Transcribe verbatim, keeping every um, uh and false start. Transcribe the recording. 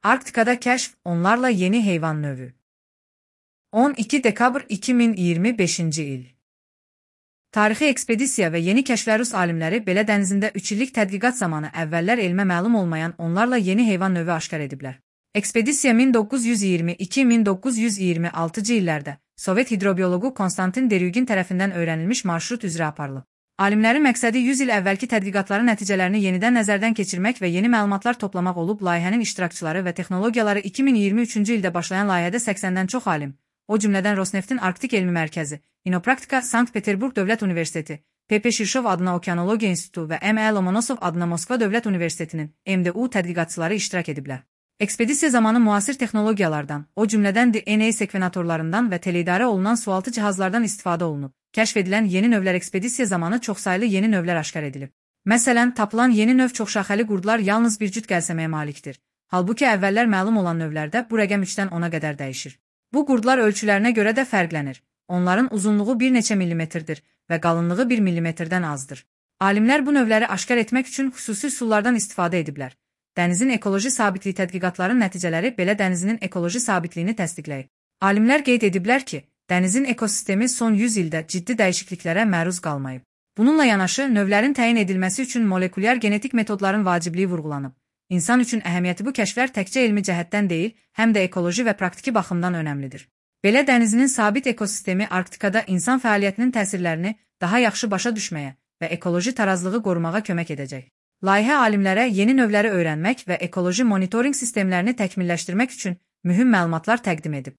Arktikada kəşf, onlarla yeni heyvan növü. on iki dekabr iki min iyirmi beşinci il. Tarixi ekspedisiya və yeni kəşflər Rus alimləri belə dənizində üç illik tədqiqat zamanı əvvəllər elmə məlum olmayan onlarla yeni heyvan növü aşkar ediblər. Ekspedisiya min doqquz yüz iyirmi iki min doqquz yüz iyirmi altıncı illərdə Sovet hidrobiologu Konstantin Deryugin tərəfindən öyrənilmiş marşrut üzrə aparılıb. Alimlərin məqsədi yüz il əvvəlki tədqiqatların nəticələrini yenidən nəzərdən keçirmək və yeni məlumatlar toplamaq olub. Layihənin iştirakçıları və texnologiyaları iki min iyirmi üçüncü ildə başlayan layihədə səksəndən çox alim, o cümlədən Rosneftin Arktik Elmi Mərkəzi, İnopraktika, Sankt-Peterburg Dövlət Universiteti, P P Şirşov adına Okeanologiya İnstitutu və M E Lomonosov adına Moskva Dövlət Universitetinin M D U tədqiqatçıları iştirak ediblər. Ekspedisiya zamanı müasir texnologiyalardan, o cümlədən D N A sekvenatorlarından və teleidarə olunan sualtı cihazlardan istifadə olunub. Kəşf edilən yeni növlər ekspedisiya zamanı çoxsaylı yeni növlər aşkar edilib. Məsələn, tapılan yeni növ çoxşaxəli qurdlar yalnız bir cüt gəlsəməyə malikdir. Halbuki əvvəllər məlum olan növlərdə bu rəqəm üçdən ona qədər dəyişir. Bu qurdlar ölçülərinə görə də fərqlənir. Onların uzunluğu bir neçə millimetrdir və qalınlığı bir millimetrdən azdır. Alimlər bu növləri aşkar etmək üçün xüsusi üsullardan istifadə ediblər. Dənizin ekoloji sabitliyi tədqiqatların nəticələri belə dənizinin ekoloji sabitliyini təsdiqləyib. Alimlər qeyd ediblər ki, dənizin ekosistemi son yüz ildə ciddi dəyişikliklərə məruz qalmayıb. Bununla yanaşı, növlərin təyin edilməsi üçün molekulyar genetik metodların vacibliyi vurğulanıb. İnsan üçün əhəmiyyəti bu kəşflər təkcə elmi cəhətdən deyil, həm də ekoloji və praktiki baxımdan önəmlidir. Belə dənizinin sabit ekosistemi Arktikada insan fəaliyyətinin təsirlərini daha yaxşı başa düşməyə və ekoloji tarazlığı qorumağa kömək edəcək. Layihə alimlərə yeni növləri öyrənmək və ekoloji monitorinq sistemlərini təkmilləşdirmək üçün mühüm məlumatlar təqdim edib.